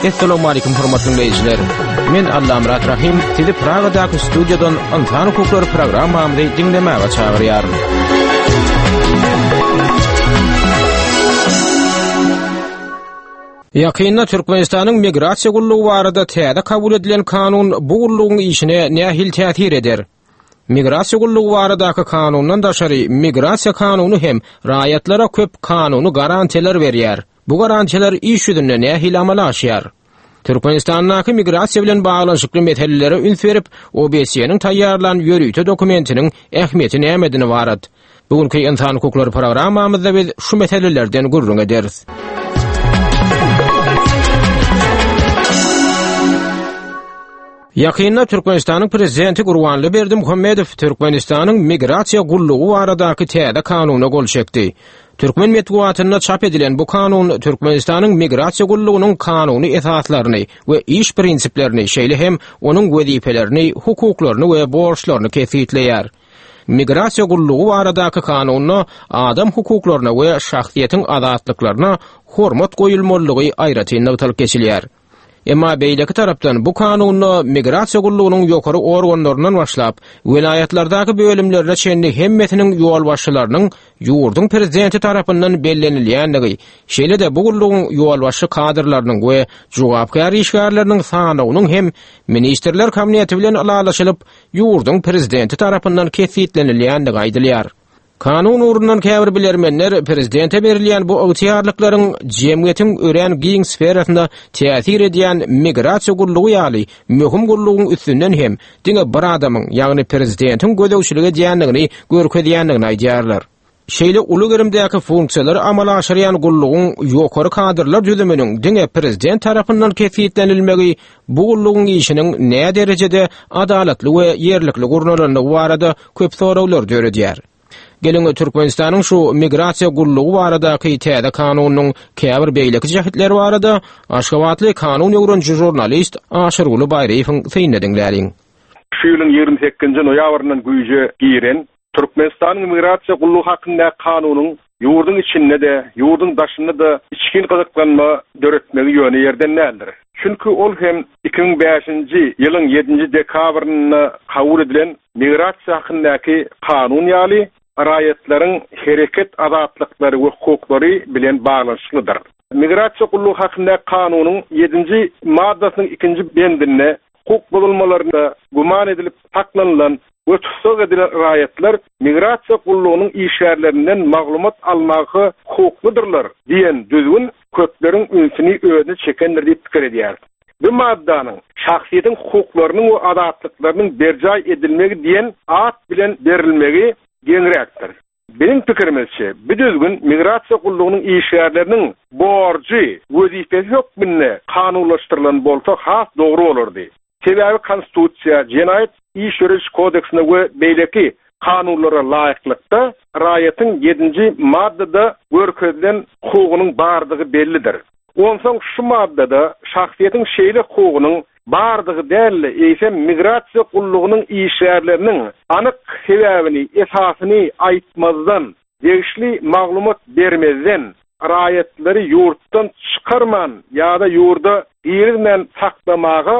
Essalamu aleýkum hormatly diňleýjiler. Men Allamyrat Rahym sizi Pragadaky studiýadan Ynsan hukuklary programmamyzy diňlemäge çagyrýaryn. Ýakynda Türkmenistanyň Migrasiýa gullugy barada täze kabul edilen kanun bu gullugyň işine nähili täsir eder? Migrasiýa gullugy baradaky kanundan daşary migrasiýa kanuny hem raýatlara köp kanuny garantiýalar berýär. Bu garantiýalar iş ýüzünde nähili amala aşýar? Türkmenistandaky migrasiýa bilen baglanyşykly meselelere üns berip, OBSE-niň taýýarlan ýörite dokumentiniň ähmiýeti nämeden ybarat? Bu günki Ynsan hukuklary programmamyzda biz şu meselelerden gürrüň ederis. Ýakynda Türkmenistanyň Prezidenti Gurbanly Berdimuhamedow Türkmenistanyň Migrasiýa gullugy baradaky täze kanuna gol çekdi. Türkmen metbugatynda çap edilen bu kanun Türkmenistanyň Migrasiýa gullugynyň kanuny esaslaryny we iş prinsiplerini, şeýle hem onuň wezipelerini, hukuklaryny we borçlaryny kesgitleýär. Migrasiýa gullugy baradaky kanunda adam hukuklaryna we şahsyýetiň azatlyklaryna hormat goýulmalydygy aýratyn nygtalyp geçilýär. Emma beýleki tarapdan bu kanunda migrasiýa gullugynyň ýokary organlaryndan başlap, welaýatlardaky bölümlerine çenli hemmesiniň ýolbaşçylarynyň ýurduň prezidenti tarapyndan bellenilýändigi, şeýle-de bu gullugyň ýolbaşçy kadrlarynyň we jogapkär işgärleriniň sanawynyň hem Ministrler Kabineti bilen ylalaşylyp, ýurduň prezidenti tarapyndan kesgitlenilýändigi aýdylýar. Kanun ugrundan käbir bilermenler prezidente berilýän bu ygtyýarlyklaryň jemgyýetiň örän giň sferasyna täsir edýän migrasiýa gullugy ýaly möhüm gullugyň üstünden hem diňe bir adamyň, ýagny prezidentiň gözegçilik edýändigini görkezýändigini aýdýarlar. Şeýle uly gerimdäki funksiýalary amala aşyrýan gullugyň ýokary kadrlar düzüminiň diňe prezident tarapyndan kesgitlenilmegi bu gullugyň işiniň näderejede adalatly we ýerlikli gurnalandygy barada köp soraglary döredýär. Geliň, Türkmenistanyň şu migrasiýa gullugy baradaky täze kanunynyň käbir beýleki jähtleri barada aşgabatly kanun öwreniji žurnalist Aşyrguly Baýryýewiň synyny diňläliň. Şu ýylyň 28-nji noýabryndan güýje giren Türkmenistanyň Migrasiýa gullugy hakyndaky kanunyň ýurduň içinde-de, ýurduň daşynda-da içgin gyzyklanma döretmegi ýöne ýerden däldir. Çünki ol hem 2005-nji ýylyň ýedinji dekabrynda kabul edilen Migrasiýa hakyndaky kanun ýaly raýatlaryň hereket azatlyklary we hukuklary bilen baglanyşyklydyr. Migrasiýa gullugy hakyndaky kanunyň ýedinji maddasynyň ikinji bendinde hukuk bozulmalarynda güman edilip saklanylan we tussag edilen raýatlar migrasiýa gullugynyň işgärlerinden maglumat almaga hukuklydyrlar diýen düzgün köpleriň ünsüni özüne çekendir diýip pikir edýäris. Bu maddanyň Şahsyýetiň hukuklarynyň we azatlyklarynyň berjaý edilmegi diýen at bilen berilmegi geňräkdir. Biziň pikirimizçe, bu düzgün migrasiýa gullugynyň işgärleriniň borjy, wezipesi hökmünde kanunlaşdyrylan bolsa has dogry bolardy. Sebäbi Konstitusiýa, Jenaýat iş ýörediş kodeksine we beýleki kanunlara laýyklykda raýatyň ýedinji maddada görkezilen hukugynyň bardygy bellidir. Onsoň şu maddada şahsyýetiň şeýle hukugynyň bardygy däl-de, eýsem migrasiýa gullugynyň işgärleriniň anyk sebäbini, esasyny aýtmazdan, degişli maglumat bermezden, raýatlary ýurtdan çykarman ýa-da ýurda girizmän saklamaga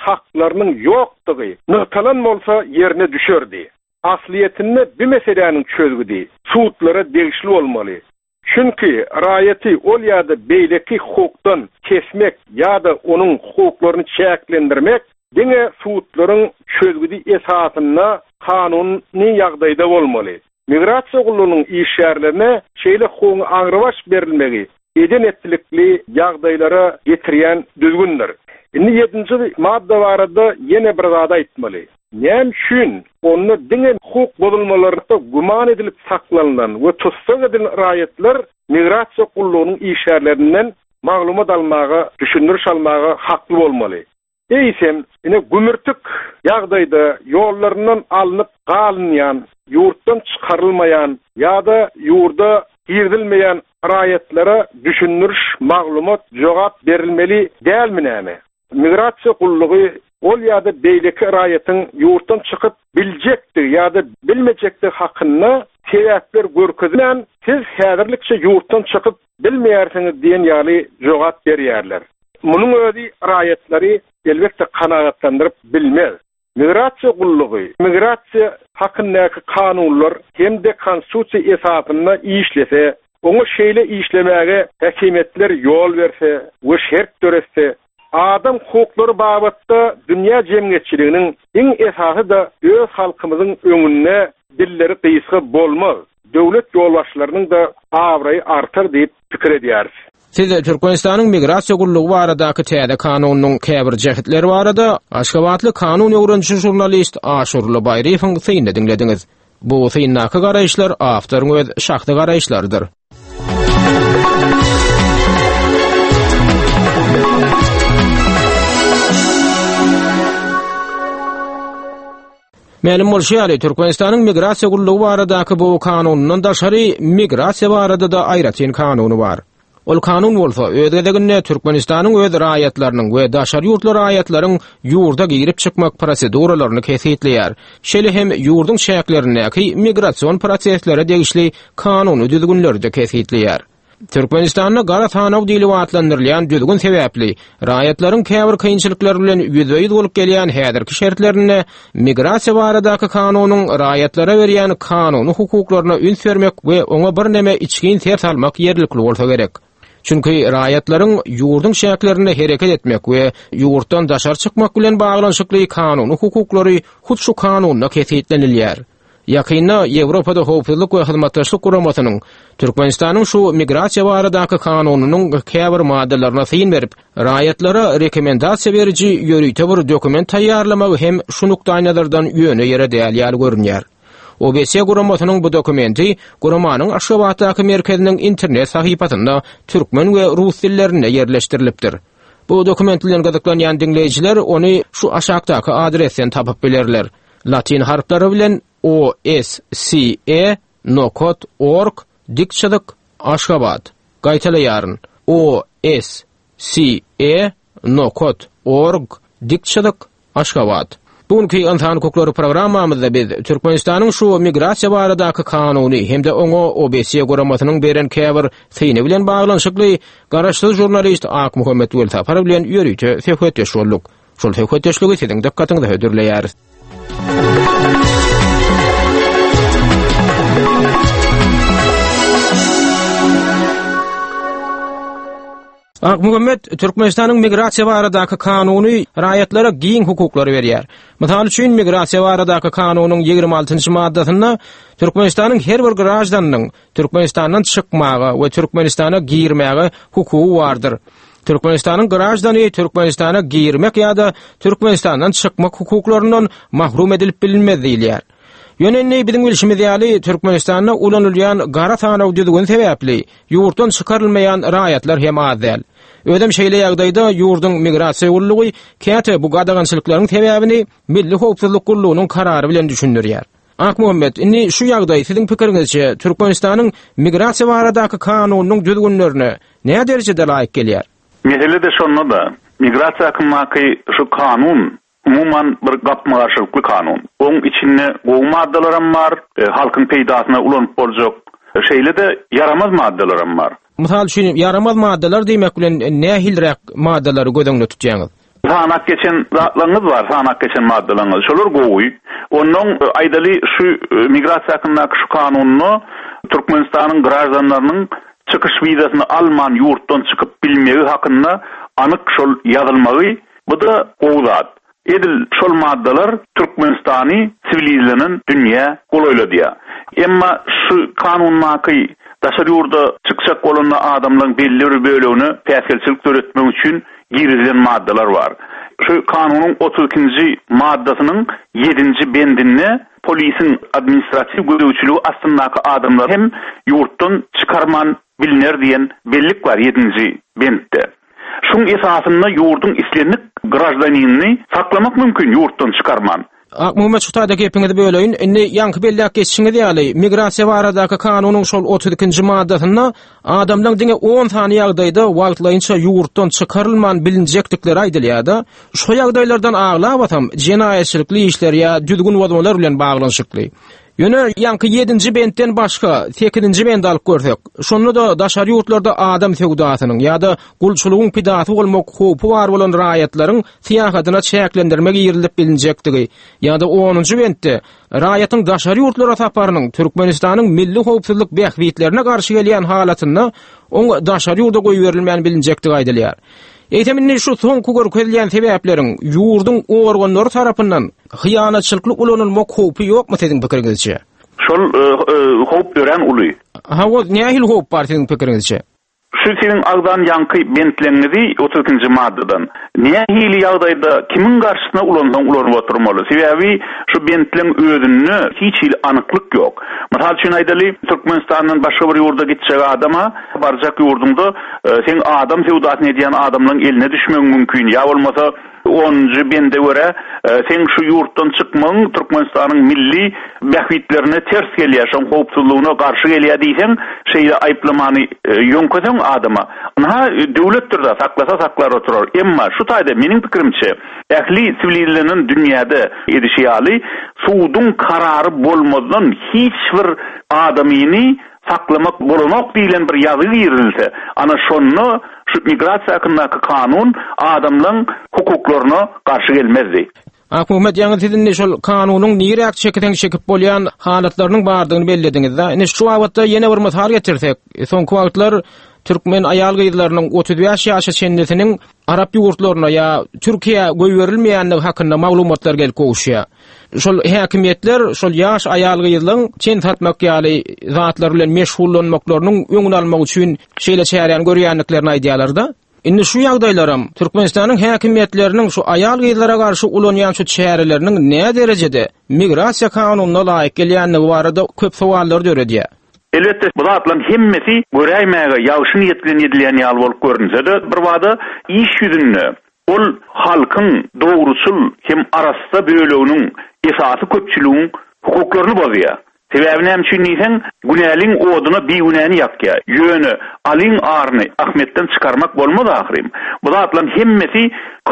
haklarynyň ýokdugy nygtalan bolsa ýerine düşerdi. Aslyýetinde bu meseläniň çözgüdi sudlara degişli bolmaly. Çünki raýaty ol ýa-da beýleki hukukdan kesmek ýa-da onuň hukuklaryny çäklendirmek diňe sudlaryň çözgüdi esasynda kanuny ýagdaýda bolmaly. Migrasiýa gullugynyň işgärlerine şeýle hukugyň aňrybaş berilmegi eden-etdilikli ýagdaýlara getirýän düzgündir. Indi ýedinji madda barada ýene bir zady aýtmaly. Näme üçin onda diňe hukuk bozulmalarynda güman edilip saklanylan we tussag edilen raýatlar migrasiýa gullugynyň işgärlerinden maglumat almaga, düşündiriş almaga hakly bolmaly? Eýsem, ine gümürtik ýagdaýda ýollaryndan alnyp galynýan, ýurtdan çykarylmaýan ýa-da ýurda girizilmeýän raýatlara düşündiriş, maglumat, jogap berilmeli dälmi näme? Migrasiýa gullugy ol ýa-da beýleki raýatyň ýurtdan çykyp biljekdigi ýa-da bilmejekdigi hakynda sebäpler görkezmän, siz häzirlikçe ýurtdan çykyp bilmeýärsiňiz diýen ýaly jogap berýärler. Munuň özi raýatlary elbetde kanagatlandyryp bilmez. Migrasiýa gullugy migrasiýa hakyndaky kanunlar hem-de Konstitusiýa esasynda işlese, oňa şeýle işlemäge häkimiýetler ýol berse we şert döretse, adam hukuklary babatda dünýä jemgyýetçiliginiň, iň esasy-da öz halkymyzyň öňünde dilleri gysga bolmaz, döwlet ýolbaşçylarynyň-da abraýy artar diýip pikir edýäris. Siz Türkmenistanyň Migrasiýa gullugy baradaky täze kanunynyň käbir jähtleri barada aşgabatly kanun öwreniji žurnalist Aşurly Baýryýewiň synyny diňlediňiz. Bu syndaky garaýyşlar awtoryň öz şahsy garaýyşlarydyr. Mälim bolşy ýaly, Türkmenistanyň Migrasiýa gullugy baradaky bu kanunyndan daşary migrasiýa barada-da aýratyn kanuny bar. Ol kanun bolsa, öz gezeginde Türkmenistanyň öz raýatlarynyň we daşary ýurtly raýatlaryň ýurda girip çykmak proseduralaryny kesgitleýär. Şeýle hem ýurduň çäklerindäki migrasion proseslere degişli kanuny düzgünleri-de kesgitleýär. Türkmenistanda gara sanaw diýlip atlandyrylýan düzgün sebäpli raýatlaryň käbir kynçylyklar bilen ýüzbe-ýüz bolup gelýän häzirki şertlerinde migrasiýa baradaky kanunyň raýatlara berýän kanuny hukuklaryna üns bermek we oňa birneme içgin ser salmak ýerlikli bolsa gerek. Çünki raýatlaryň ýurduň çäklerinde hereket etmek we ýurtdan daşary çykmak bilen baglanyşykly kanuny hukuklary hut şu kanunda kesgitlenilýär. Ýakynda Ýewropada Howpsuzlyk we Hyzmatdaşlyk Guramasynyň Türkmenistanyň şu migrasiýa baradaky kanunynyň käbir maddalaryna syn berip, raýatlara rekomendasiýa beriji ýörite bir dokument taýýarlamagy hem şu nukdaýnazardan ýöne ýere däl ýaly görünýär. OBSE guramasynyň bu dokumenti guramanyň Aşgabatdaky merkeziniň internet sahypasynda türkmen we rus dillerinde ýerleşdirilipdir. Bu dokument bilen gyzyklanýan diňleýjiler ony şu aşakdaky adresden tapyp bilerler. Latyn harplary bilen O S C E nokat org dik çyzyk Aşgabat. Gaýtalaýaryn, O S C E nokat org dik çyzyk Aşgabat. Bu günki Ynsan hukuklary programmamyzda biz Türkmenistanyň şu migrasiýa baradaky kanuny hem-de oňa OBSE guramasynyň beren käbir syny bilen baglanyşykly garaşsyz žurnalist Akmuhammet Welsapar bilen ýörite söhbetdeş bolduk. Şol söhbetdeşligi siziň dykgatyňyza hödürleýäris. Akmuhammet, Türkmenistanyň migrasiýa baradaky kanuny raýatlara giň hukuklary berýär. Mysal üçin, migrasiýa baradaky kanunyň 26-njy maddasynda Türkmenistanyň her bir graždanynyň Türkmenistandan çykmaga we Türkmenistana girmäge hukugy bardyr. Türkmenistanyň graždany Türkmenistana girmek ýa-da Türkmenistandan çykmak hukuklaryndan mahrum edilip bilinmez diýilýär. Ýöne indi biziň bilşimiz ýaly, Türkmenistanda ulanylýan gara sanaw düzgüni sebäpli ýurtdan çykarylmaýan raýatlar hem az däl. Özem şeýle ýagdaýda ýurduň migrasiýa gullugy käte bu gadagançylyklaryň sebäbini Milli howpsuzlyk gullugynyň karary bilen düşündirýär. Akmuhammet, indi şu ýagdaý siziň pikiriňizçe Türkmenistanyň migrasiýa baradaky kanunynyň düzgünlerine nä derejede laýyk gelýär? Mesele-de şonda-da, migrasiýa hakyndaky şu kanun umuman bir gapma-garşylykly kanun. Oň içinde gowy maddalaram bar, halkyň peýdasyna ulanyp boljak, şeýle-de ýaramaz maddalaram bar. Mysal üçin, ýaramaz maddalar diýmek bilen nähiliräk maddalary göz öňünde tutýaňyz? Sanap geçen zatlaryňyz bar, sanap geçen maddalaryňyz. Şolar gowy. Onnoň aýdaly şu migrasiýa hakyndaky şu kanunda Türkmenistanyň graždanlarynyň çykyş wizasyny alman ýurtdan çykyp bilmegi hakynda anyk şol ýazylmagy, bu-da gowy zat. Edil şol maddalar Türkmenistany siwilizlenen dünýä golaýladýar. Emma şu kanundaky daşary ýurda çykjak bolanda adamlaryň belli bir bölegine päsgelçilik döretmek üçin girizilen maddalar bar. Şu kanunyň 32-nji maddasynyň ýedinji bendinde polisiň administratiw gözegçiligi astyndaky adamlary hem ýurtdan çykarman bilner diýen bellik bar ýedinji bentde. Şuň esasynda ýurduň islendik graždaninini saklamak mümkin ýurtdan çykarman. Akmuhammet şu taýda gepiňizi böleýin. Indi ýaňky belläp geçişiňiz ýaly, migrasiýa baradaky kanunyň şol 32-nji maddasynda adamlaň diňe on sany ýagdaýda wagtlaýynça ýurtdan çykarylman bilinjekdikleri aýdylýar-da. Şo ýagdaýlardan aglabasam jenaýatçylykly işler ýa düzgün bozmalar bilen baglanyşykly. Ýöne ýaňky ýedinji bentden başga sekizinji bendi alyp görsek, şonda-da daşary ýurtlarda adam söwdasynyň ýa-da gulçulygyň pidasy bolmak howpy bar bolan raýatlaryň syýahatyna çäklendirme girizilip bilinjekdigi ýa-da onunjy bentde raýatyň daşary ýurtlara saparynyň Türkmenistanyň milli howpsuzlyk bähbitlerine garşy gelýän halatynda oň daşary ýurda goýberilmän bilinjekdigi aýdylýar. Eýsem indi şu soňky görkezilýän sebäpleriň ýurduň organlary tarapyndan hyýanatçylykly ulanylmak howpy ýokmy siziň pikiriňizçe? Şol howp örän uly. Hawa, nähili howp bar siziň pikiriňizçe? Şu siziň agzan ýaňky bentleňňizi 32-nji maddadan nähili ýagdaýda kimiň garşysyna ulansaň ulanyp oturmaly. Sebäbi şu bentleň özünde hiç hili anyklyk ýok. Mysal üçin aýdaly, Türkmenistandan başga bir ýurda gitjek adama barjak ýurduňda seň adam söwdasyny edýän adamlaň eline düşmegiň mümkin ýa bolmasa Onunjy bende görä, seň şu ýurtdan çykmagyň Türkmenistanyň milli bähbitlerine ters gelýär, şoň howpsuzlygyna garşy gelýär diýseň, şeýle aýyplamany ýöňkeseň adama, ynha, döwletdir-dä, saklasa saklar oturar. Emma şu taýda, meniň pikirimçe, ähli siwilizlenen dünýäde edişi ýaly, suduň karary bolmazdan hiç bir adamyny saklamak bolanok diýlen bir ýazgy girizilse, ana şonda şu migrasiýa hakyndaky kanun adamlaň hukuklaryna garşy gelmezdi. Akmuhammet ýaňy siz indi şol kanunyň niräk çekiseň çekip bolýan halatlarynyň bardygyny bellediňiz-de. Indi şu babatda ýene bir mysal getirsek, soňky wagtlar türkmen aýal-gyzlarynyň 35 ýaşa çenlisiniň arap ýurtlaryna ýa Türkiýä goýberilmeýändigi hakynda maglumatlar gelip gowuşýar. Şol häkimiýetler şol ýaş aýal-gyzlaryň ten satmak ýaly zatlar bilen meşgullanmaklarynyň öňüni almak üçin şeýle çäräni görýändiklerini aýdýarlar-da. Indi şu ýagdaýlaram Türkmenistanyň häkimiýetleriniň şu aýal-gyzlara garşy ulanýan şu çäreleriniň näderejede migrasiýa kanunyna laýyk gelýändigi barada köp sowallary döredýär. Elbetde, bu zatlaryň hemmesi göräýmäge ýagşy niýet bilen edilýän ýaly bolup görünse-de, birbada iş ýüzünde ol halkyň dogruçyl hem arassa böleginiň, esasy köpçüligiň hukuklaryny bozýar. Sebäbi näme üçin diýseň, günäliň oduna bigünäni ýakýar. Ýöne Alyň aryny Ahmetden çykarmak bolmaz ahyryn. Bu zatlaryň hemmesi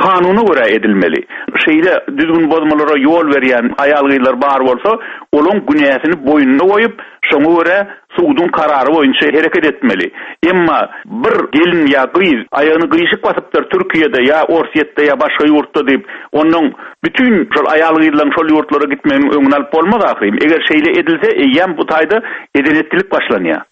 kanuna görä edilmeli. Şeýle düzgün bozmalara ýol berýän aýal-gyzlar bar bolsa, olaň günäsini boýnuna goýup, Şoňa görä, suduň karary boýunça hereket etmeli. Emma bir gelin ýa gyz aýagyny gyşyk basypdyr Türkiýede ýa Orsýetde ýa başga ýurtda diýip, onnoň bütin şol aýal-gyzlaryň şol ýurtlara gitmeginiň öňüni alyp bolmaz ahyryn. Eger şeýle edilse, eýýäm bu taýda eden-etdilik başlanýar.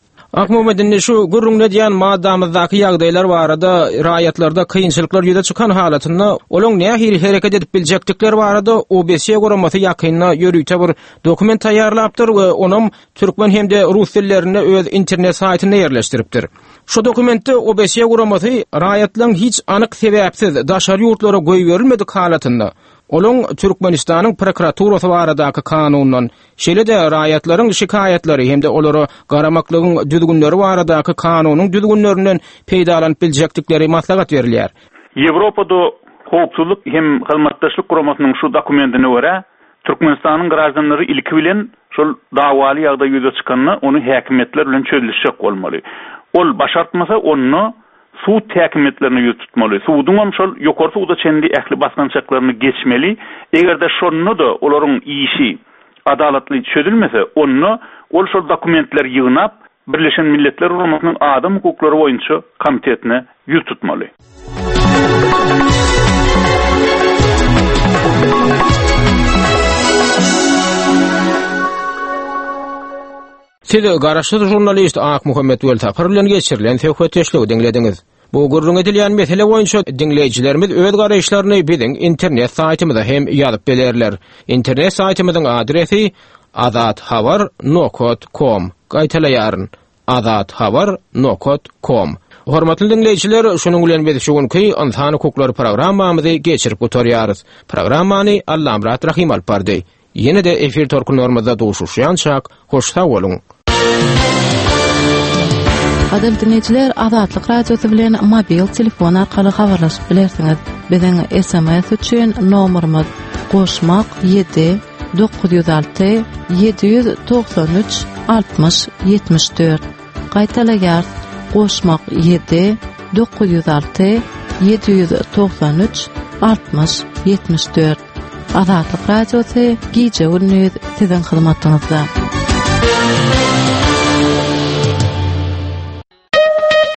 Akmuhammet indi şu gürrüňini edýän maddamyzdaky ýagdaýlar barada raýatlarda kynçylyklar ýüze çykan halatynda olaň nähili hereket edip biljekdikleri barada OBSE guramasy ýakynda ýörite bir dokument taýýarlapdyr we onam türkmen hem-de rus dillerinde öz internet saýtynda ýerleşdiripdir. Şu dokumentde OBSE guramasy raýatlaryň hiç anyk sebäpsiz daşary ýurtlara goýberilmedik halatynda olaň Türkmenistanyň prokuraturasy baradaky kanundan Şeýle-de raýatlaryň şikaýatlary hem-de olara garamaklygyň düzgünleri baradaky kanunyň düzgünlerinden peýdalanyp biljekdikleri maslahat berilýär. Ýewropada Howpsuzlyk hem Hyzmatdaşlyk Guramasynyň şu dokumentine görä, Türkmenistanyň graždanlary ilki bilen şol dawaly ýagdaý ýüze çykanda ony häkimiýetler bilen çözlüşjek bolmaly. Ol başartmasa, onda sud häkimiýetlerine ýüz tutmaly. Suduňam şol ýokary suda çenli ähli basgançaklaryny geçmeli. Eger-de şonda-da olaryň işi adalatly çözülmese, onda ol şol dokumentleri ýygnap, Birleşen Milletler Guramasynyň Adam hukuklary boýunça komitetine ýüz tutmaly. Siz garaşsyz žurnalist Akmuhammet Welsapar bilen geçirilen söhbetdeşligi diňlediňiz. Bu gürrüň edilýän mesele boýunça diňleýjilerimiz öz garaýyşlaryny biziň internet saýtymyza hem ýazyp bilerler. Internet saýtymyzyň adresi azathabar nokat kom. Gaýtalaýaryn, azathabar nokat kom. Hormatly diňleýjiler, şunuň bilen biz şu günki Ynsan hukuklary programmamyzy geçirip gutarýarys. Programmany Allamyrat Rahym alyp bardy. Ýene-de efir tolkunlarymyzda duşuşýançak, hoş sag boluň! Gadyrly diňleýjiler, Azatlyk Radiosy bilen mobil telefon arkaly habarlaşyp bilersiňiz. Biziň SMS üçin nomerimiz goşmak 7 906 793 60 74. Gaýtalaýarys, goşmak 7 906 793 60 74. Azatlyk Radiosy gije-gündiz siziň hyzmatyňyzda.